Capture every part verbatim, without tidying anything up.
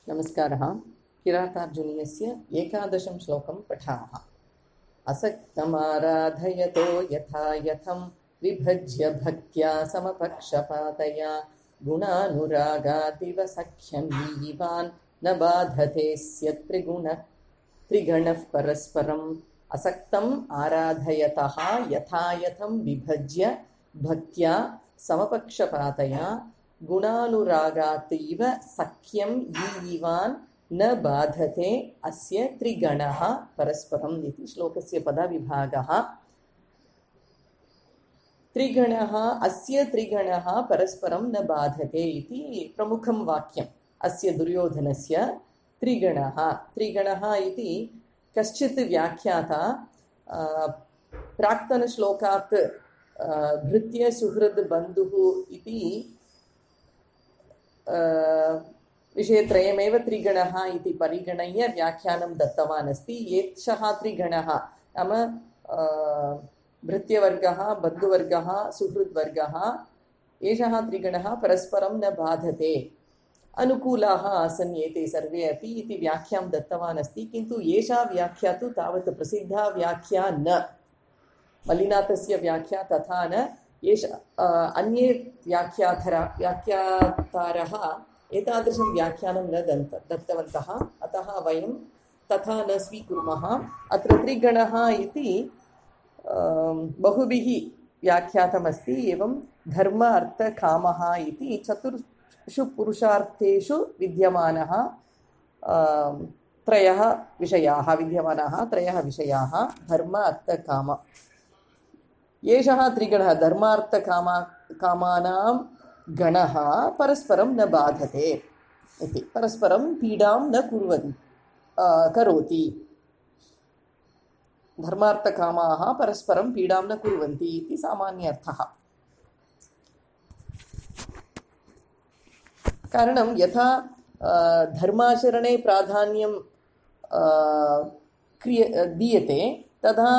नमस्कारः। किरातार्जुनीयस्य एकादशं श्लोकं पठामः। असक्तमाराधयतो यथा यथं विभज्य भक्त्या समपक्षपातया गुणानुरागादिव सख्यं वीवान् न बाधते स्य त्रिगुण त्रिगणः परस्परम्। असक्तम् आराधयतः यथा यथं विभज्य भक्त्या समपक्षपातया गुणानुरागातीव सख्यं ईवान् न बाधते अस्य त्रिगणः परस्परम् इति श्लोकस्य पदविभागः। त्रिगणः अस्य त्रिगणः परस्परं न बाधते इति प्रमुखं वाक्यम्। अस्य दुर्योधनस्य त्रिगणः त्रिगणः इति कश्चित् व्याख्याता प्राक्तनश्लोकात् भृत्य सुहृद् बन्धुः इति विषयत्रयमेव त्रिगणः इति परिगणय्य व्याख्यानं दत्तवान् अस्ति। एषः त्रिगणः नाम भृत्यवर्गः, बन्धुवर्गः, सुहृद्वर्गः, एषः त्रिगणः परस्परं न बाधते, अनुकूलाः आसन् एते सर्वे अपि इति व्याख्यां दत्तवान् अस्ति। किन्तु एषा व्याख्या तु तावत् प्रसिद्धा व्याख्या न, मल्लिनाथस्य व्याख्या तथा न। एष अन्ये व्याख्यातर व्याख्यातारः एतादृशं व्याख्यानं न दन्त दत्तवन्तः, अतः वयं तथा न स्वीकुर्मः। अत्र त्रिगणः इति बहुभिः व्याख्यातमस्ति। एवं धर्म अर्थ कामः इति चतुर्षु पुरुषार्थेषु विद्यमानः त्रयः विषयाः विद्यमानाः त्रयः विषयाः धर्म अर्थ काम। एषः त्रिगणः धर्मार्थकामा कामानां गणः परस्परं न बाधते इति, परस्परं पीडां न कुर्वन् करोति। धर्मार्थकामाः परस्परं पीडां न कुर्वन्ति इति सामान्यर्थः। कारणं यथा धर्माचरणे प्राधान्यं क्रिय दीयते तथा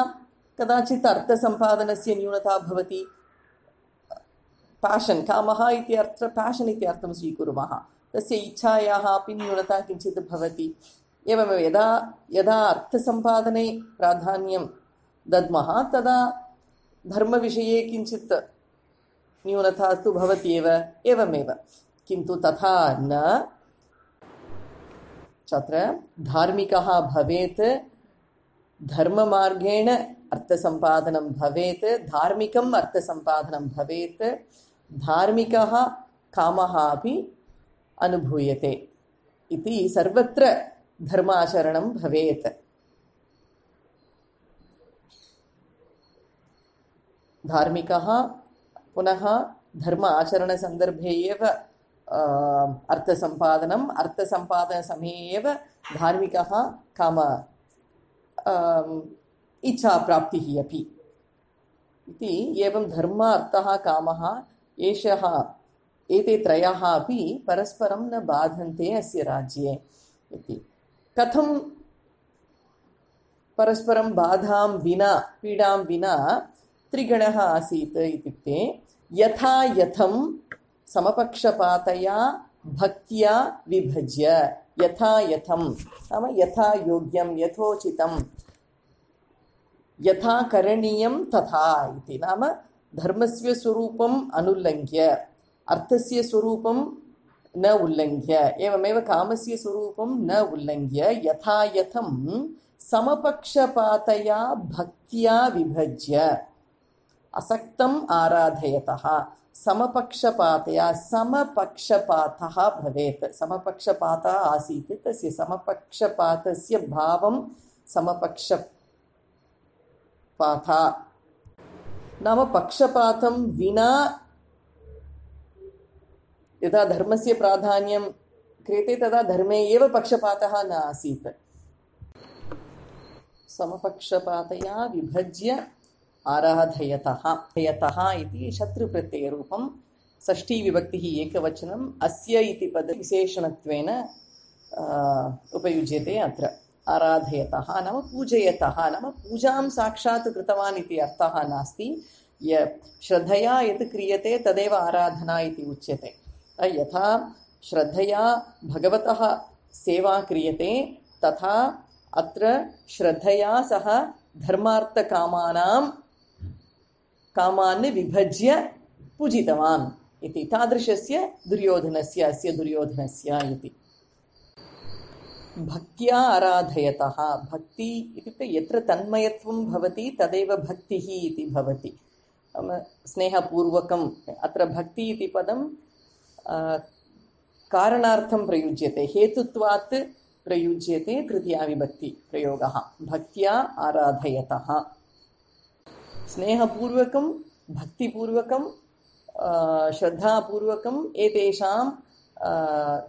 कदाचित् अर्थसम्पादनस्य न्यूनता भवति। पाशन् कामः इति अर्थ पाशन् इति अर्थं स्वीकुर्मः, तस्य इच्छायाः अपि न्यूनता किञ्चित् भवति। एवमेव यदा यदा अर्थसम्पादने प्राधान्यं दद्मः तदा धर्मविषये किञ्चित् न्यूनता तु भवति एव। एवमेव किन्तु तथा न, तत्र धार्मिकः भवेत्, धर्ममार्गेण अर्थसम्पादनं भवेत्, धार्मिकम् अर्थसम्पादनं भवेत्, धार्मिकः कामः अपि अनुभूयते इति सर्वत्र धर्माचरणं भवेत्। धार्मिकः पुनः धर्म आचरणसन्दर्भे एव अर्थसम्पादनम्, अर्थसम्पादनसमये एव धार्मिकः काम इच्छाप्राप्तिः अपि इति। एवं धर्म अर्थः कामः एषः एते त्रयः अपि परस्परं न बाधन्ते अस्य राज्ये इति। कथं परस्परं बाधां विना पीडां विना त्रिगणः आसीत् इत्युक्ते यथा यथं समपक्षपातया भक्त्या विभज्य, यथा यथं नाम यथा योग्यं यथोचितं, यथा करणीयं तथा इति। नाम धर्मस्य स्वरूपम् अनुल्लङ्घ्य अर्थस्य स्वरूपं न उल्लङ्घ्य, एवमेव कामस्य स्वरूपं न उल्लङ्घ्य यथा यथं समपक्षपातया भक्त्या विभज्य असक्तम् आराधयतः। समपक्षपातया समपक्षपातः भवेत्, समपक्षपातः आसीत् तस्य समपक्षपातस्य भावं समपक्षपातः नाम पक्षपातं विना। यदा धर्मस्य प्राधान्यं क्रियते तदा धर्मे एव पक्षपातः न आसीत्। समपक्षपातया विभज्य आराधयतः यतः इति शत्रुप्रत्ययरूपं, षष्ठीविभक्तिः एकवचनम्, अस्य इति पदविशेषणत्वेन उपयुज्यते अत्र। आराधयतः नाम पूजयतः, नाम पूजां साक्षात् कृतवान् इति अर्थः नास्ति। य श्रद्धया यत् क्रियते तदेव आराधना इति उच्यते। यथा श्रद्धया भगवतः सेवा क्रियते तथा अत्र श्रद्धया सह धर्मार्थकामानां कामान् विभज्य पूजितवान् इति तादृशस्य दुर्योधनस्य अस्य दुर्योधनस्य इति भक्त्या आराधयतः भक्ति इत्युक्ते यत्र तन्मयत्वं भवति तदेव भक्तिः इति भवति स्नेहपूर्वकम् अत्र भक्ति इति पदं कारणार्थं प्रयुज्यते हेतुत्वात् प्रयुज्यते तृतीया विभक्ति प्रयोगः भक्त्या आराधयतः स्नेहपूर्वकं भक्तिपूर्वकं श्रद्धापूर्वकम् एतेषां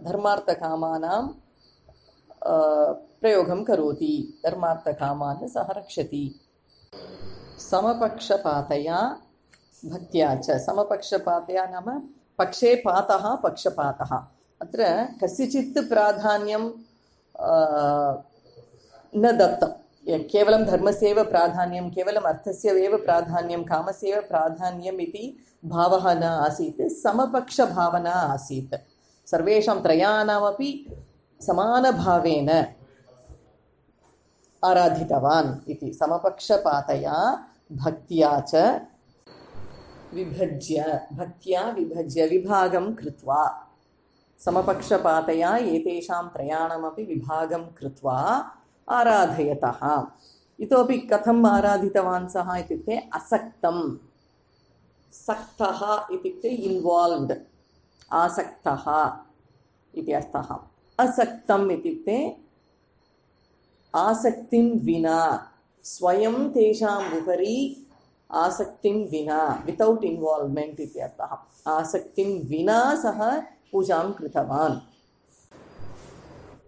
धर्मार्थकामानां प्रयोगं करोति धर्मार्थकामान् सः रक्षति समपक्षपातया भक्त्या च समपक्षपातया नाम पक्षे पातः पक्षपातः अत्र कस्यचित् प्राधान्यं न दत्तं केवलं धर्मस्यैव प्राधान्यं केवलम् अर्थस्यैव प्राधान्यं कामस्यैव प्राधान्यम् इति भावः न आसीत् समपक्षभावना आसीत् सर्वेषां त्रयाणामपि समानभावेन आराधितवान् इति समपक्षपातया भक्त्या च विभज्य भक्त्या विभज्य विभागं कृत्वा समपक्षपातया एतेषां त्रयाणामपि विभागं कृत्वा आराधयतः इतोपि कथम् आराधितवान् सः इत्युक्ते असक्तं सक्तः इत्युक्ते इन्वाल्व्ड् आसक्तः इति अर्थः असक्तम् इत्युक्ते आसक्तिं विना स्वयं तेषाम् उपरि आसक्तिं विना वितौट् इन्वाल्व्मेण्ट् इति अर्थः आसक्तिं विना सः पूजां कृतवान्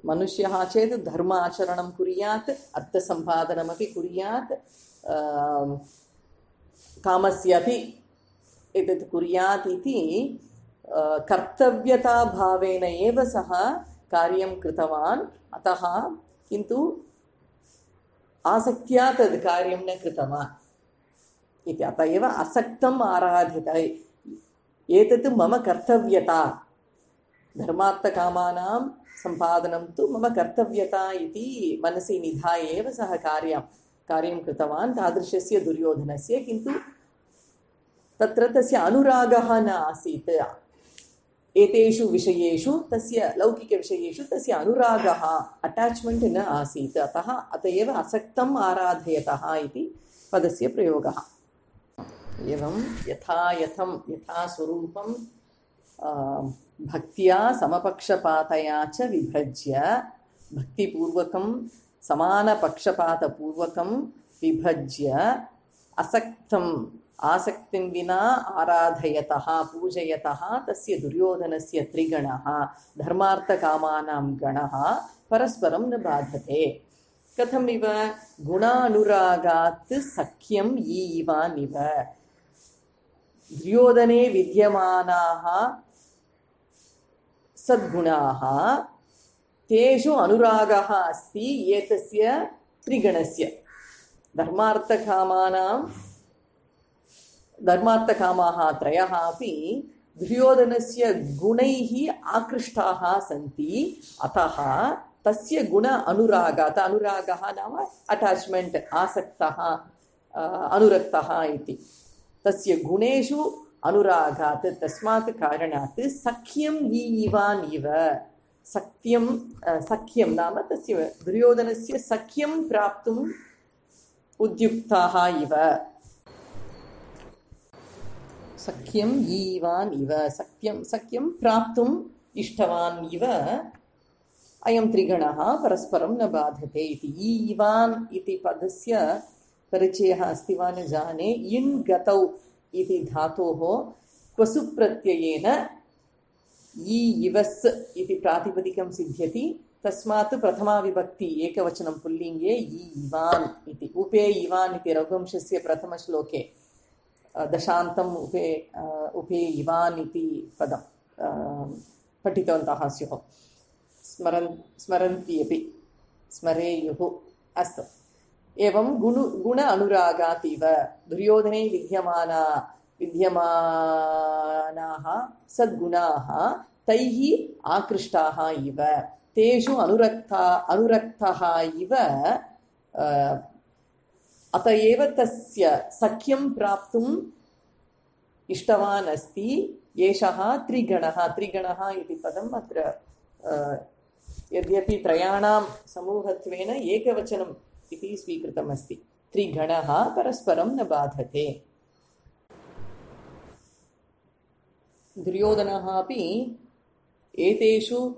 मनुष्यः चेत् धर्म आचरणं कुर्यात् अर्थसम्पादनमपि कुर्यात् कामस्यापि एतत् कुर्यात् इति कर्तव्यताभावेन एव सः कार्यं कृतवान् अतः किन्तु आसक्त्या तद् कार्यं न कृतवान् इति अतः एव असक्तम् आराधित एतत् मम कर्तव्यता धर्मार्थकामानां सम्पादनं तु मम कर्तव्यता इति मनसि निधाय एव सः कार्यं कार्यं कृतवान् तादृशस्य दुर्योधनस्य किन्तु तत्र तस्य अनुरागः न आसीत् एतेषु विषयेषु तस्य लौकिकविषयेषु तस्य अनुरागः अटाच्मेण्ट् न आसीत् अतः अत एव असक्तम् आराधयतः इति पदस्य प्रयोगः एवं यथा यथं यथा स्वरूपं भक्त्या समपक्षपातया च विभज्य भक्तिपूर्वकं समानपक्षपातपूर्वकं विभज्य असक्तम् आसक्तिं विना आराधयतः पूजयतः तस्य दुर्योधनस्य त्रिगणः धर्मार्थकामानां गणः परस्परं न बाधते कथमिव गुणानुरागात् सख्यं ईवानिव दुर्योधने विद्यमानाः सद्गुणाः तेषु अनुरागः अस्ति एतस्य त्रिगणस्य धर्मार्थकामानां धर्मार्थकामाः त्रयः अपि दुर्योधनस्य गुणैः आकृष्टाः सन्ति अतः तस्य गुण अनुरागात् अनुरागः नाम अटाच्मेण्ट् आसक्तः अनुरक्तः इति तस्य गुणेषु अनुरागात् तस्मात् कारणात् सख्यं ईवान् इव सख्यं सख्यं नाम तस्य दुर्योधनस्य सख्यं प्राप्तुम् उद्युक्ताः इव सख्यं ईवान् इव सख्यं सख्यं प्राप्तुम् इष्टवान् इव अयं त्रिगणः परस्परं न बाधते इति ईवान् इति पदस्य परिचयः अस्ति वा न जाने इन् गतौ इति धातोः क्वसु प्रत्ययेन ई इवस् इति प्रातिपदिकं सिद्ध्यति तस्मात् प्रथमा विभक्ति एकवचनं पुल्लिङ्गे ई इवान् इति उपे इवान् इति रघुवंशस्य प्रथमश्लोके दशान्तम् उपे उपे इवान् इति पदं पठितवन्तः स्युः स्मरन् स्मरन्ति अपि स्मरेयुः अस्तु एवं गुण गुण अनुरागात् इव दुर्योधने विद्यमाना विद्यमानाः सद्गुणाः तैः आकृष्टाः इव तेषु अनुरक्ता अनुरक्तः इव अत एव तस्य सख्यं प्राप्तुम् इष्टवान् अस्ति एषः त्रिगणः। त्रिगणः इति पदम् अत्र यद्यपि त्रयाणां समूहत्वेन एकवचनम् इति स्वीकृतमस्ति। त्रिगणः परस्परं न बाधते। दुर्योधनः अपि एतेषु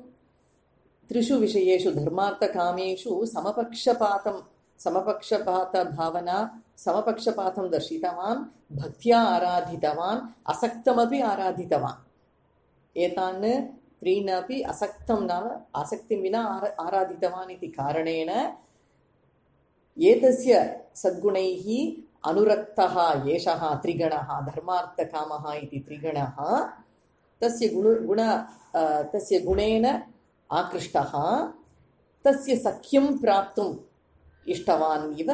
त्रिषु विषयेषु धर्मार्थकामेषु समपक्षपातं समपक्षपातभावना समपक्षपातं दर्शितवान्, भक्त्या आराधितवान्, असक्तमपि आराधितवान्। एतान् त्रीन् अपि असक्तं नाम आसक्तिं विना आराधितवान् इति कारणेन एतस्य सद्गुणैः अनुरक्तः एषः त्रिगणः धर्मार्थकामः इति त्रिगणः तस्य गुण गुण तस्य गुणेन आकृष्टः, तस्य सख्यं प्राप्तुम् इष्टवान् इव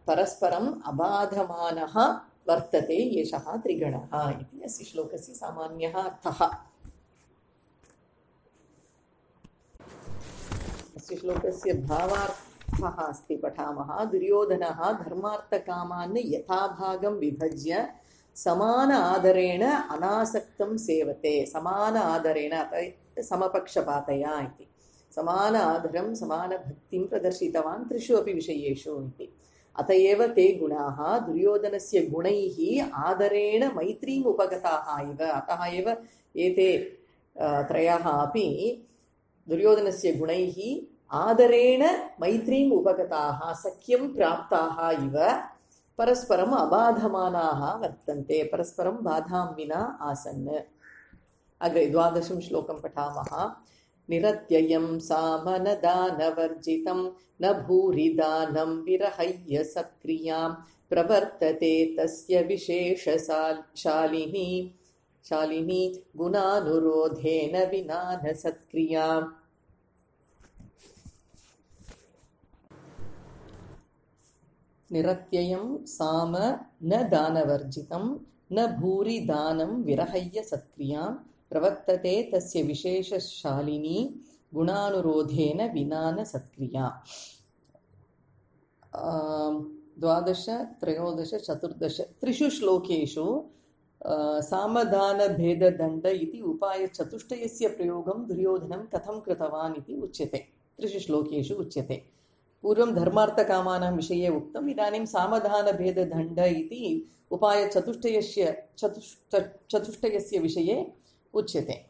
परस्परम् अबाधमानः वर्तते एषः त्रिगणः इति अस्य श्लोकस्य सामान्यः अर्थः। अस्य श्लोकस्य भावार्थः अस्ति पठामः। दुर्योधनः धर्मार्थकामान् यथाभागं विभज्य समान आदरेण अनासक्तं सेवते। समान आदरेण समपक्षपातया इति समान आदरं समानभक्तिं प्रदर्शितवान् त्रिषु अपि विषयेषु इति। अत एव ते गुणाः दुर्योधनस्य गुणैः आदरेण मैत्रीम् उपगताः इव। अतः एव एते त्रयः अपि दुर्योधनस्य गुणैः आदरेण मैत्रीम् उपगताः, सख्यं प्राप्ताः इव परस्परम् अबाधमानाः वर्तन्ते, परस्परं बाधां विना आसन्। अग्रे द्वादशं श्लोकं पठामः। निरत्ययं सामनदानवर्जितं न भूरिदानं विरहय्य सत्क्रियां प्रवर्तते तस्य विशेषशालिनी शालिनी गुणानुरोधेन विना न सत्क्रियाम्। निरत्ययं साम न दानवर्जितं न भूरि दानं विरहय्य सत्क्रियां प्रवर्तते तस्य विशेषशालिनी गुणानुरोधेन विना न सत्क्रिया। द्वादश त्रयोदश चतुर्दश त्रिषु श्लोकेषु सामदानभेददण्ड इति उपायचतुष्टयस्य प्रयोगं दुर्योधनं कथं कृतवान् इति उच्यते। त्रिषु श्लोकेषु उच्यते। पूर्वं धर्मार्थकामानां विषये उक्तम्, इदानीं सामधानभेददण्ड इति उपायचतुष्टयस्य चतुष्ट चतुष्टयस्य विषये उच्यते।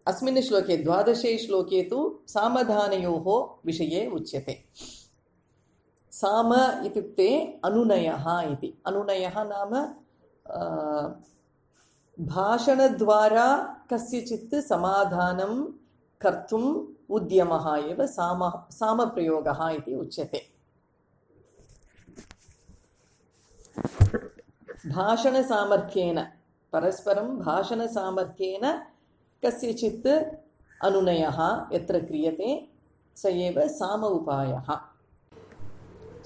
अस्मिन् श्लोके द्वादशे श्लोके तु सामधानयोः विषये उच्यते। साम इत्युक्ते अनुनयः इति। अनुनयः नाम भाषणद्वारा कस्यचित् समाधानं कर्तुम् उद्यमः एव साम सामप्रयोगः इति उच्यते। भाषणसामर्थ्येन परस्परं भाषणसामर्थ्येन कस्यचित् अनुनयः यत्र क्रियते स एव साम उपायः।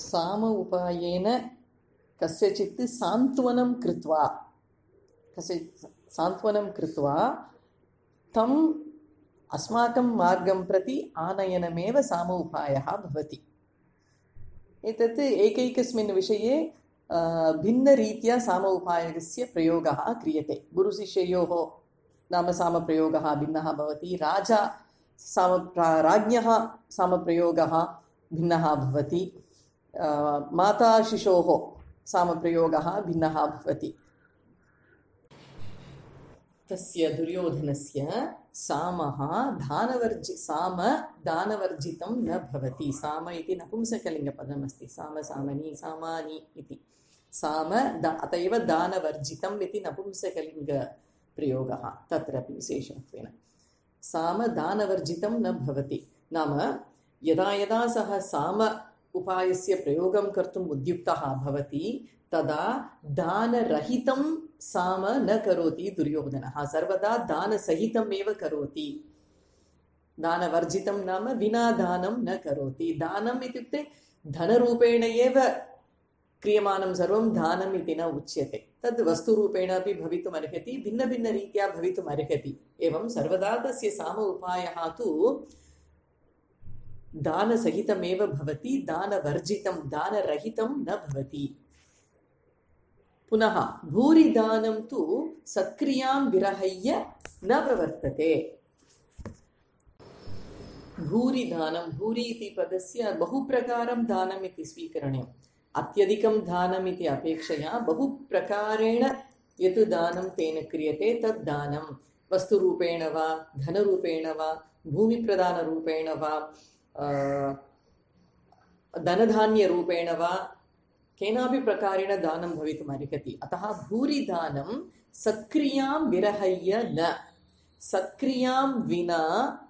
साम उपायेन कस्यचित् सान्त्वनं कृत्वा कस्य सान्त्वनं कृत्वा तम् अस्माकं मार्गं प्रति आनयनमेव साम उपायः भवति। एतत् एकैकस्मिन् विषये भिन्नरीत्या साम उपायस्य प्रयोगः क्रियते। गुरुशिष्ययोः नाम सामप्रयोगः भिन्नः भवति। राजा साम राज्ञः सामप्रयोगः भिन्नः भवति। माता शिशोः सामप्रयोगः भिन्नः भवति। तस्य दुर्योधनस्य सामः दानवर्जि साम दानवर्जितं न भवति। साम इति नपुंसकलिङ्गपदमस्ति। साम सामनी सामानि इति साम दा अत एव दानवर्जितम् इति नपुंसकलिङ्गप्रयोगः तत्रापि विशेषत्वेन। साम दानवर्जितं न भवति नाम यदा यदा सः साम उपायस्य प्रयोगं कर्तुम् उद्युक्तः भवति तदा दानरहितं साम न करोति दुर्योधनः। सर्वदा दानसहितम् एव करोति। दानवर्जितं नाम विना दानं न करोति। दानम् इत्युक्ते धनरूपेण एव क्रियमाणं सर्वं दानम् इति न उच्यते। तद् वस्तुरूपेण अपि भवितुम् अर्हति, भिन्नभिन्नरीत्या भवितुम् अर्हति। एवं सर्वदा तस्य साम उपायः तु दानसहितमेव भवति, दानवर्जितं दानरहितं न भवति। पुनः भूरिदानं तु सत्क्रियां विरहय्य न प्रवर्तते। भूरिदानं, भूरि इति पदस्य बहुप्रकारं दानम् इति स्वीकरणीयम्। अत्यधिकं दानम् इति अपेक्षया बहुप्रकारेण यत् दानं तेन क्रियते तद् दानं, वस्तुरूपेण वा धनरूपेण वा भूमिप्रदानरूपेण वा धनधान्यरूपेण वा केनापि प्रकारेण दानं भवितुम् अर्हति। अतः भूरिदानं सत्क्रियां विरहय्य न, सत्क्रियां विना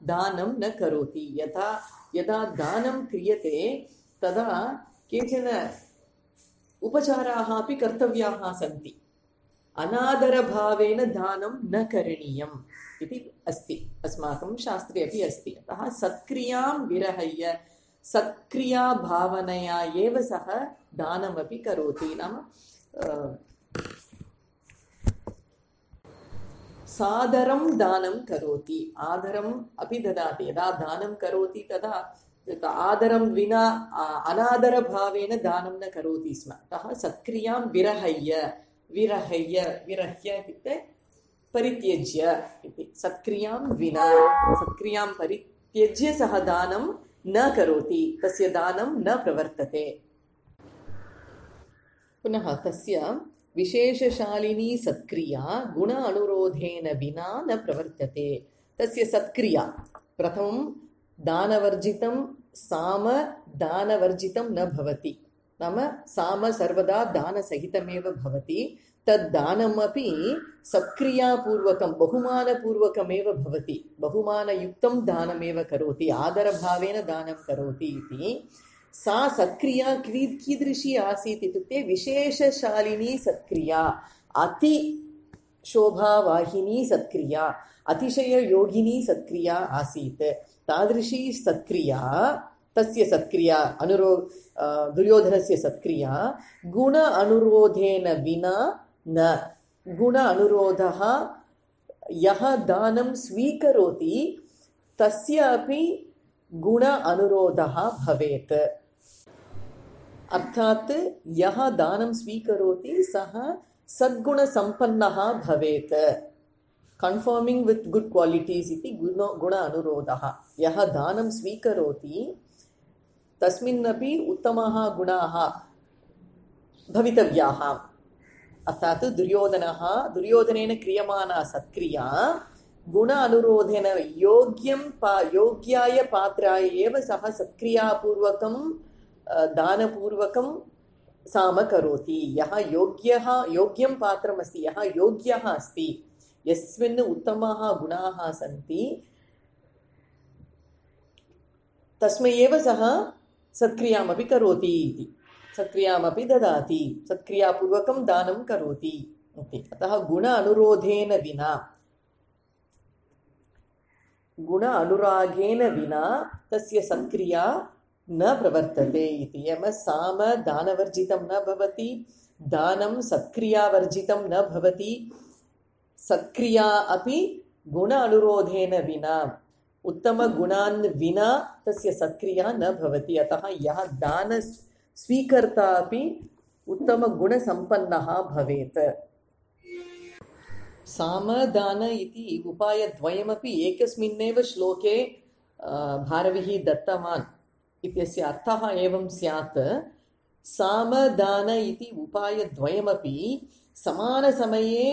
दानं न करोति। यथा यदा दानं क्रियते तदा केचन उपचाराः अपि कर्तव्याः सन्ति। अनादरभावेन दानं न करणीयम् इति अस्ति, अस्माकं शास्त्रे अपि अस्ति। अतः सत्क्रियां विरहय्य सत्क्रियाभावनया एव सः दानमपि करोति। नाम सादरं दानं करोति, आदरम् अपि ददाति। यदा दानं करोति तदा आदरं विना अनादरभावेन दानं न करोति स्म। अतः सत्क्रियां विरहय्य, विरहय्य विरह्य इत्युक्ते परित्यज्य इति। सत्क्रियां विना, सत्क्रियां परित्यज्य सः दानं न करोति, तस्य दानं न प्रवर्तते। पुनः तस्य विशेषशालिनी सत्क्रिया गुण अनुरोधेन विना न प्रवर्तते। तस्य सत्क्रिया प्रथमं दानवर्जितं साम दानवर्जितं न भवति। नाम साम सर्वदा दानसहितमेव भवति। तद्दानमपि सत्क्रियापूर्वकं बहुमानपूर्वकमेव भवति, बहुमानयुक्तं दानमेव करोति, आदरभावेन दानं करोति इति। सा सत्क्रिया की कीदृशी आसीत् इत्युक्ते विशेषशालिनी सत्क्रिया, अति शोभावाहिनी सत्क्रिया, अतिशययोगिनी सत्क्रिया आसीत्। तादृशी सत्क्रिया, तस्य सत्क्रिया अनुरो दुर्योधनस्य सत्क्रिया गुण अनुरोधेन विना न। गुण अनुरोधः, यः दानं स्वीकरोति तस्य अपि गुण अनुरोधः भवेत्। अर्थात् यः दानं स्वीकरोति सः सद्गुणसम्पन्नः भवेत्। कन्फर्मिंग विथ गुड क्वालिटीज इति गुण गुण अनुरोधः। यः दानं स्वीकरोति तस्मिन्नपि उत्तमाः गुणाः भवितव्याः। अर्थात् दुर्योधनः दुर्योधनेन क्रियमाणा सत्क्रिया गुण अनुरोधेन योग्यं पा योग्याय पात्राय एव सः सत्क्रियापूर्वकं दानपूर्वकं साम करोति। यः योग्यः योग्यं पात्रमस्ति, यः योग्यः अस्ति, यस्मिन् उत्तमाः गुणाः सन्ति, तस्मै एव सः सत्क्रियामपि करोति इति। सत्क्रियामपि ददाति, सत्क्रियापूर्वकं दानं करोति इति। अतः गुण अनुरोधेन विना, गुण अनुरागेन विना तस्य सत्क्रिया न प्रवर्तते इति। यम साम दानवर्जितं न भवति, दानं सत्क्रियावर्जितं न भवति, सत्क्रिया अपि गुण अनुरोधेन विना, उत्तम गुणान् विना तस्य सत्क्रिया न भवति। अतः यः दान स्वीकर्ता अपि उत्तम गुणसम्पन्नः भवेत्। सामदान इति उपायद्वयमपि एकस्मिन्नेव श्लोके भारविः दत्तवान् इत्यस्य अर्थः एवं स्यात्। सामदान इति उपायद्वयमपि समानसमये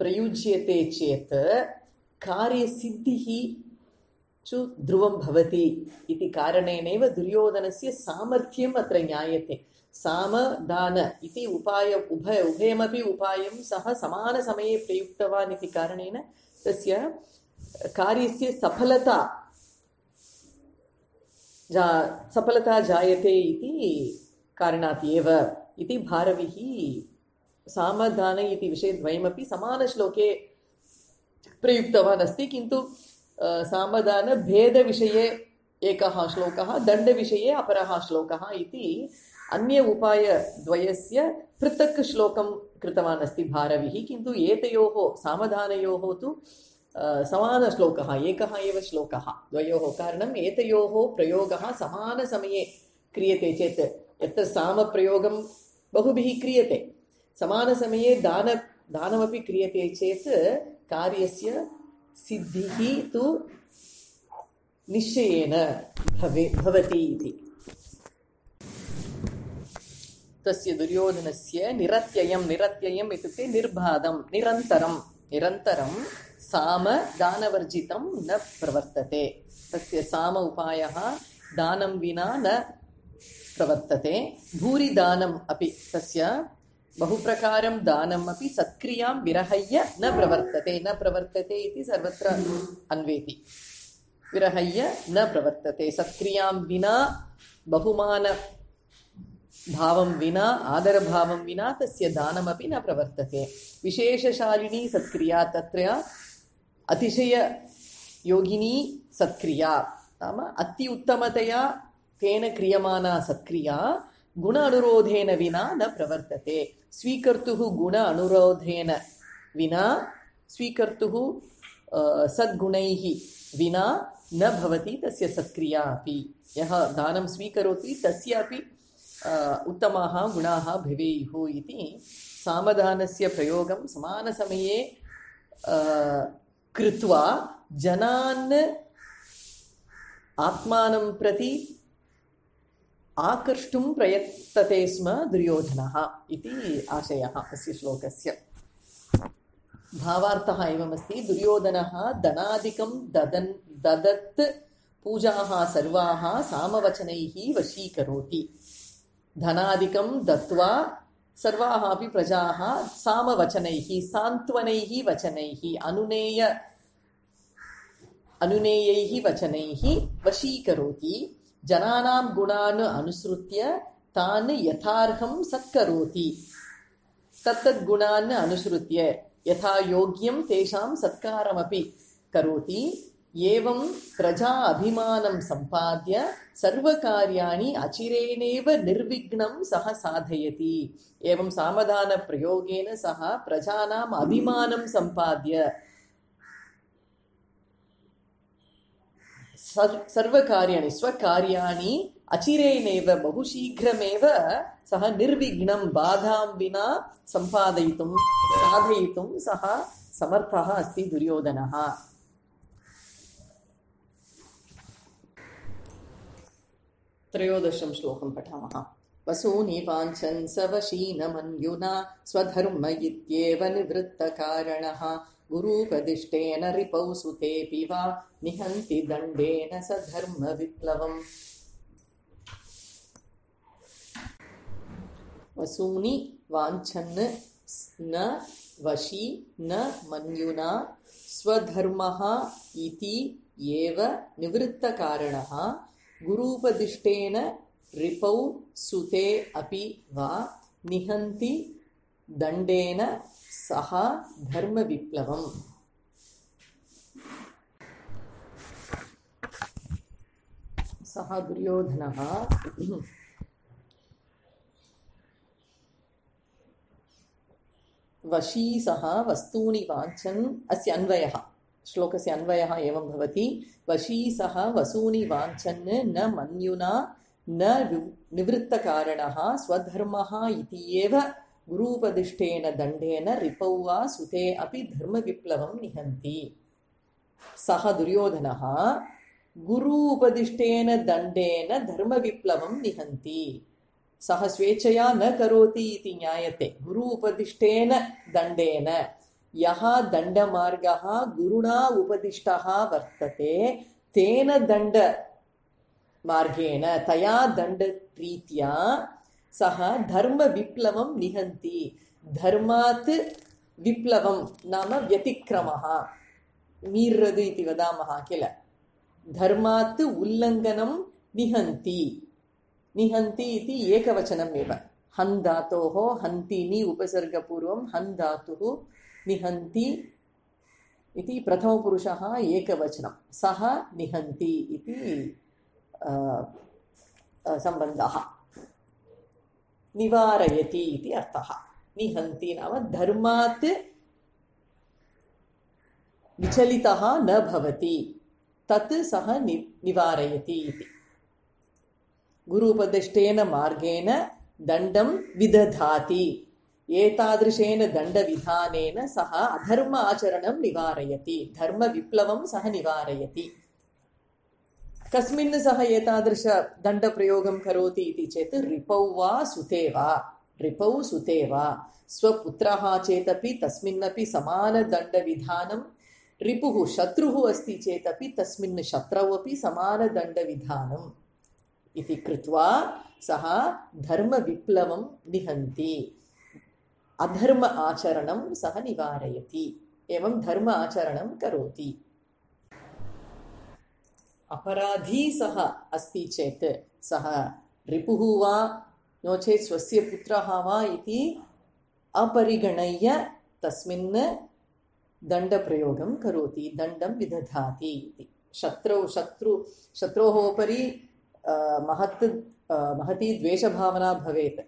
प्रयुज्यते चेत् कार्यसिद्धिः च ध्रुवं भवति इति कारणेनैव दुर्योधनस्य सामर्थ्यम् अत्र ज्ञायते। सामदान इति उपाय उभय उभयमपि उपायं सः समानसमये प्रयुक्तवान् इति कारणेन तस्य कार्यस्य सफलता जा सफलता जायते इति कारणात् एव इति भारविः सामदान इति विषयद्वयमपि समानश्लोके प्रयुक्तवान् अस्ति। किन्तु सामदान भेदविषये एकः श्लोकः, दण्डविषये अपरः श्लोकः इति अन्य उपायद्वयस्य पृथक् श्लोकं कृतवान् अस्ति भारविः। किन्तु एतयोः सामदानयोः तु समानश्लोकः, एकः एव श्लोकः द्वयोः। कारणम् एतयोः प्रयोगः समानसमये क्रियते चेत्, यत्र सामप्रयोगं बहुभिः क्रियते, समानसमये दान दानमपि क्रियते चेत् कार्यस्य सिद्धिः तु निश्चयेन भवे भवति इति। तस्य दुर्योधनस्य निरत्ययं निरत्ययम् इत्युक्ते निर्बाधं निरन्तरं निरन्तरं साम दानवर्जितं न प्रवर्तते। तस्य साम उपायः दानं विना न प्रवर्तते। भूरि दानम् अपि तस्य बहुप्रकारं दानम् अपि सत्क्रियां विरहय्य न प्रवर्तते। न प्रवर्तते इति सर्वत्र अन्वेति। विरहय्य न प्रवर्तते। सत्क्रियां विना, बहुमान भावं विना, आदरभावं विना तस्य दानमपि न प्रवर्तते। विशेषशालिनी सत्क्रिया, तत्र अतिशययोगिनी सत्क्रिया, नाम अति उत्तमतया तेन क्रियमाना सत्क्रिया गुण अनुरोधेन विना न प्रवर्तते। स्वीकर्तुः गुण अनुरोधेन विना, स्वीकर्तुः सद्गुणैः विना न भवति तस्य सत्क्रिया अपि। यः दानं स्वीकरोति तस्यापि उत्तमाः गुणाः भवेयुः इति सामदानस्य प्रयोगं समानसमये कृत्वा जनान् आत्मानं प्रति आकर्ष्टुं प्रयतते स्म दुर्योधनः इति आशयः अस्य श्लोकस्य। भावार्थः एवमस्ति। दुर्योधनः धनादिकं ददन् ददत् पूजाः सर्वाः सामवचनैः वशीकरोति। धनादिकं दत्वा सर्वाः अपि प्रजाः सामवचनैः सान्त्वनैः वचनैः अनुनेय अनुनेयैः वचनैः वशीकरोति। जनानां गुणान् अनुसृत्य तान् यथार्हं सत्करोति। तत्तद् गुणान् अनुसृत्य यथा योग्यं तेषां सत्कारमपि करोति। एवं प्रजा अभिमानं सम्पाद्य सर्वकार्याणि अचिरेणेव निर्विघ्नं सः साधयति। एवं सामदानप्रयोगेन सः प्रजानाम् अभिमानं सम्पाद्य सर्वकार्याणि स्वकार्याणि अचिरेणेव बहुशीघ्रमेव सः निर्विघ्नं बाधां विना सम्पादयितुं साधयितुं सः समर्थः अस्ति दुर्योधनः। त्रयोदशं श्लोकं पठामः। वसूनि वाञ्छन् स वशीनमन्युना स्वधर्म इत्येव निवृत्तकारणः गुरूपदिष्टेन रिपौ सुतेऽपि वा निहन्ति दण्डेन स धर्मविप्लवम्। वसूनि वाञ्छन् न वशी न मन्युना स्वधर्मः इति एव निवृत्तकारणः गुरूपदिष्टेन रिपौ सुते अपि वा निहन्ति दण्डेन सह धर्मविप्लवम्। सः दुर्योधनः वशी सः वस्तूनि वाञ्छन्। अस्य अन्वयः, श्लोकस्य अन्वयः एवं भवति। वशी सः वसूनि वाञ्छन् न मन्युना न निवृत्तकारणः स्वधर्मः इति एव गुरूपदिष्टेन दण्डेन रिपौ वा सुते अपि धर्मविप्लवं निहन्ति। सः दुर्योधनः गुरु उपदिष्टेन दण्डेन धर्मविप्लवं निहन्ति। सः स्वेच्छया न करोति इति ज्ञायते। गुरु उपदिष्टेन दण्डेन, यः दण्डमार्गः गुरुणा उपदिष्टः वर्तते तेन दण्डमार्गेण, तया दण्डरीत्या सः धर्मविप्लवं निहन्ति। धर्मात् विप्लवं नाम व्यतिक्रमः, मीर्रदु इति वदामः किल। धर्मात् उल्लङ्घनं निहन्ति। निहन्ति इति एकवचनम् एव। हन् धातोः हन्तिनि उपसर्गपूर्वं हन् धातुः निहन्ति इति प्रथमपुरुषः एकवचनं। सः निहन्ति इति सम्बन्धः। निवारयति इति अर्थः। निहन्ति नाम धर्मात् विचलितः न भवति तत् सः नि निवारयति इति। गुरूपदिष्टेन मार्गेण दण्डं विदधाति। एतादृशेन दण्डविधानेन सः अधर्म आचरणं निवारयति, धर्मविप्लवं सः निवारयति। कस्मिन् सः एतादृश दण्डप्रयोगं करोति इति चेत् रिपौ वा सुते वा, रिपौ सुते वा, स्वपुत्रः चेदपि तस्मिन्नपि समानदण्डविधानं, रिपुः शत्रुः अस्ति चेदपि तस्मिन् शत्रौ अपि समानदण्डविधानम् इति कृत्वा सः धर्मविप्लवं निहन्ति, अधर्म आचरणं सः निवारयति, एवं धर्म आचरणं करोति। अपराधी सः अस्ति चेत् सः रिपुः वा नो चेत् स्वस्य पुत्रः वा इति अपरिगणय्य तस्मिन् दण्डप्रयोगं करोति, दण्डं विदधाति इति। शत्रौ शत्रु शत्रोः उपरि महत् महती द्वेषभावना भवेत्,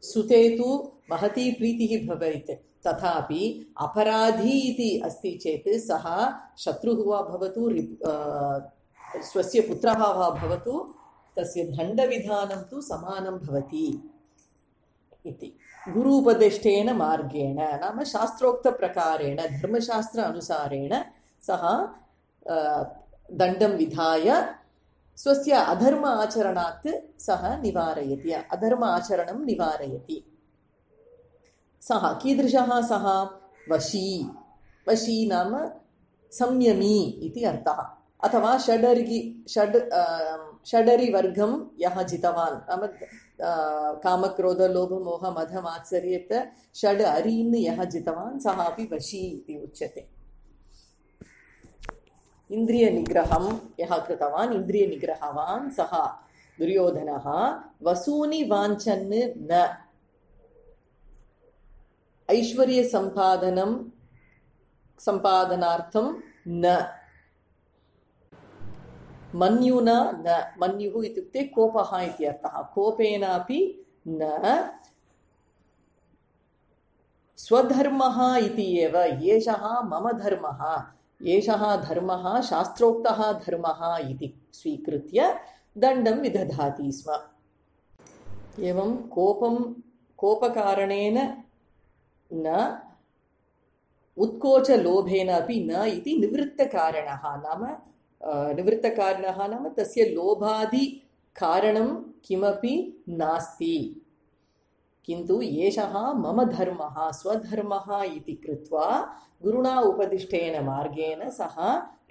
सुते तु महती प्रीतिः भवेत्, तथापि अपराधी इति अस्ति चेत् सः शत्रुः वा भवतु, स्वस्य पुत्रः वा भवतु, तस्य दण्डविधानं तु समानं भवति इति। गुरूपदिष्टेन मार्गेण नाम शास्त्रोक्तप्रकारेण, धर्मशास्त्र अनुसारेण सः दण्डं विधाय स्वस्य अधर्म आचरणात् सः निवारयति, अधर्म आचरणं निवारयति। सः कीदृशः सः? वशी। वशी नाम संयमी इति अर्थः। अथवा षडर्गि षड् षडरिवर्गं यः जितवान्, नाम कामक्रोधलोभमोहमदमात्सर्येत षड् अरीन् यः जितवान् सः अपि वशी इति उच्यते। इन्द्रियनिग्रहं यः कृतवान्, इन्द्रियनिग्रहवान् सः दुर्योधनः वसूनि वाञ्छन् न, ऐश्वर्यसम्पादनं सम्पादनार्थं न, मन्युना न, मन्युः इत्युक्ते कोपः इति अर्थः, कोपेनापि न, स्वधर्मः इति एव, एषः मम धर्मः, एषः धर्मः शास्त्रोक्तः धर्मः इति स्वीकृत्य दण्डं विदधाति स्म। एवं कोपं कोपकारणेन न, उत्कोचलोभेन अपि न इति निवृत्तकारणः, नाम निवृत्तकारणः नाम तस्य लोभादिकारणं किमपि नास्ति, किन्तु एषः मम धर्मः, स्वधर्मः इति कृत्वा गुरुणा उपदिष्टेन मार्गेण सः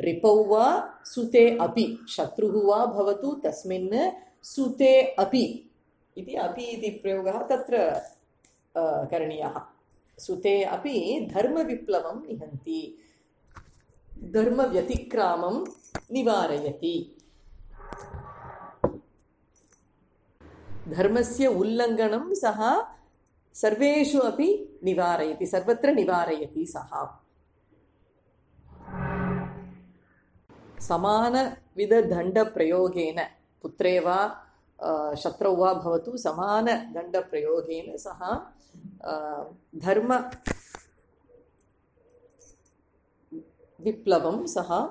रिपौ वा सुते अपि, शत्रुः वा भवतु तस्मिन् सुते अपि इति, अपि इति प्रयोगः तत्र करणीयः। सुते अपि धर्मविप्लवं निहन्ति, धर्मव्यतिक्रामं निवारयति, धर्मस्य उल्लङ्घनं सः सर्वेषु अपि निवारयति, सर्वत्र निवारयति सः। समानविधदण्डप्रयोगेन, पुत्रे वा शत्रौ वा भवतु, समानदण्डप्रयोगेन सः धर्म विप्लवं सः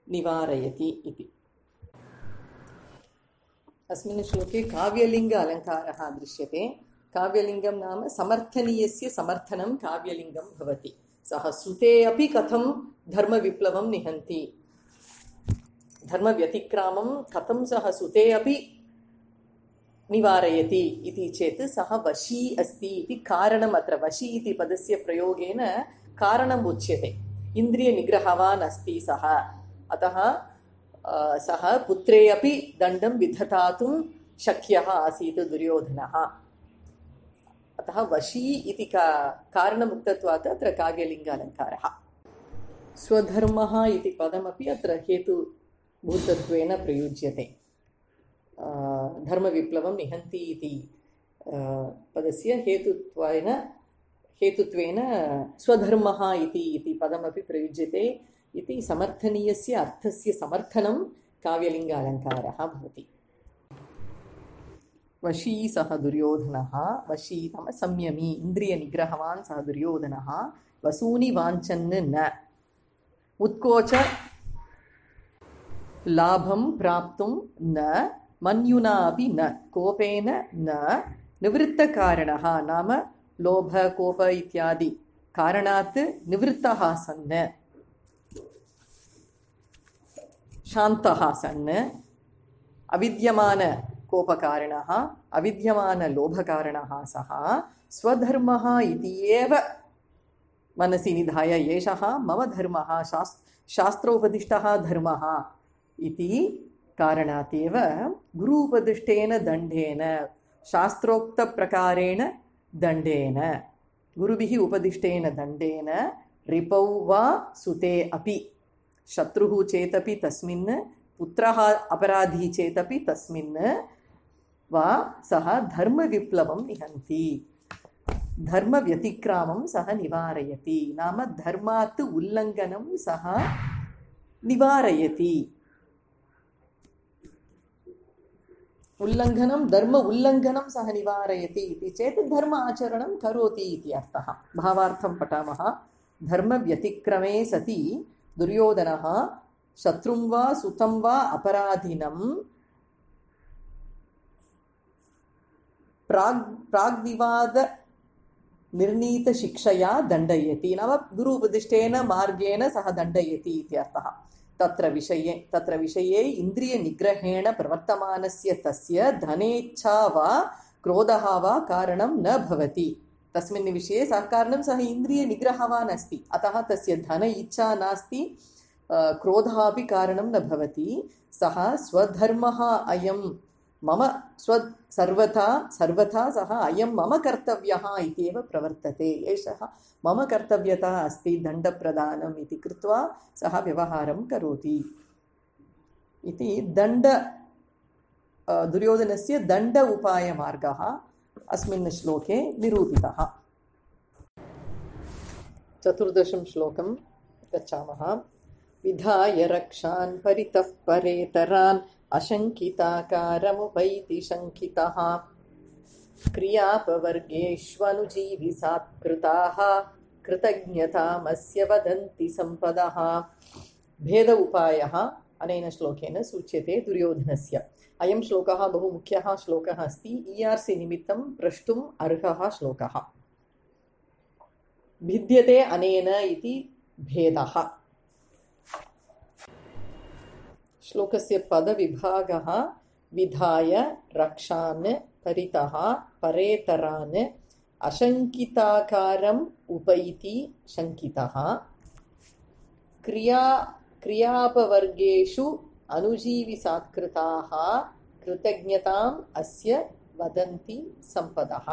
निवारयति इति। अस्मिन् श्लोके काव्यलिङ्ग अलङ्कारः दृश्यते। काव्यलिङ्गं नाम समर्थनीयस्य समर्थनं काव्यलिङ्गं भवति। सः सुते अपि कथं धर्मविप्लवं निहन्ति, धर्मव्यतिक्रामं कथं सः सुते अपि निवारयति इति चेत् सः वशी अस्ति इति कारणम्, अत्र वशी इति पदस्य प्रयोगेन कारणम् उच्यते। इन्द्रियनिग्रहवान् अस्ति सः, अतः सः पुत्रे अपि दण्डं विधतातुं शक्यः आसीत् दुर्योधनः, अतः वशी इति का कारणमुक्तत्वात् अत्र काव्यलिङ्ग अलङ्कारः। स्वधर्मः इति पदमपि अत्र हेतुभूतत्वेन प्रयुज्यते। धर्मविप्लवं निहन्ति इति पदस्य हेतुत्वेन हेतुत्वेन स्वधर्मः इति इति पदमपि प्रयुज्यते इति समर्थनीयस्य अर्थस्य समर्थनं काव्यलिङ्ग अलङ्कारः भवति। वशी सः दुर्योधनः, वशी नाम संयमी, इन्द्रियनिग्रहवान् सः दुर्योधनः, वसूनि वाञ्छन् न, उत्कोच लाभं प्राप्तुं न मन्युना अपि न कोपेन न निवृत्तकारणः नाम लोभ कोप इत्यादि कारणात् निवृत्तः सन् शान्तः सन् अविद्यमान कोपकारणः अविद्यमान लोभकारणः सः स्वधर्मः इति एव मनसि निधाय एषः मम धर्मः शास् शास्त्रोपदिष्टः धर्मः इति कारणात् एव गुरूपदिष्टेन दण्डेन शास्त्रोक्तप्रकारेण दण्डेन गुरुभिः उपदिष्टेन दण्डेन रिपौ वा सुते अपि शत्रुः चेतपि तस्मिन् पुत्रः अपराधी चेतपि तस्मिन् वा सः धर्मविप्लवं निहन्ति धर्मव्यतिक्रामं सः निवारयति नाम धर्मात् उल्लङ्घनं सः निवारयति उल्लङ्घनं धर्म उल्लङ्घनं सः निवारयति इति चेत् धर्म आचरणं करोति इति अर्थः भावार्थं पठामः धर्मव्यतिक्रमे सति दुर्योधनः शत्रुं वा सुतं वा अपराधिनं प्राग् प्राग्विवाद निर्णीतशिक्षया दण्डयति नाम गुरु उपदिष्टेन मार्गेण सः दण्डयति इति अर्थः तत्र विषये तत्र विषये इन्द्रियनिग्रहेण प्रवर्तमानस्य तस्य धनेच्छा वा क्रोधः वा कारणं न भवति तस्मिन् विषये सः कारणं सः इन्द्रियनिग्रहवान् अस्ति अतः तस्य धन इच्छा नास्ति क्रोधः अपि कारणं न भवति सः स्वधर्मः अयं मम स्व सर्वथा सर्वथा सः अयं मम कर्तव्यः इत्येव प्रवर्तते एषः मम कर्तव्यता अस्ति दण्डप्रदानम् इति कृत्वा सः व्यवहारं करोति इति दण्ड दुर्योधनस्य दण्ड उपायमार्गः अस्मिन् श्लोके निरूपितः चतुर्दशं श्लोकं गच्छामः विधाय रक्षान् परितः परेतरान् अशङ्किताकारमुपैति शङ्कितः क्रियापवर्गेष्वनुजीविसात्कृताः कृतज्ञतामस्य वदन्ति सम्पदः भेद उपायः अनेन श्लोकेन सूच्यते दुर्योधनस्य अयं श्लोकः बहु मुख्यः श्लोकः अस्ति ई आर् सी निमित्तं प्रष्टुम् अर्हः श्लोकः भिद्यते अनेन इति भेदः श्लोकस्य पदविभागः विधाय रक्षान् परितः परेतरान् अशङ्किताकारम् उपैति शङ्कितः क्रिया क्रियापवर्गेषु अनुजीविसात्कृताः कृतज्ञताम् अस्य वदन्ति सम्पदः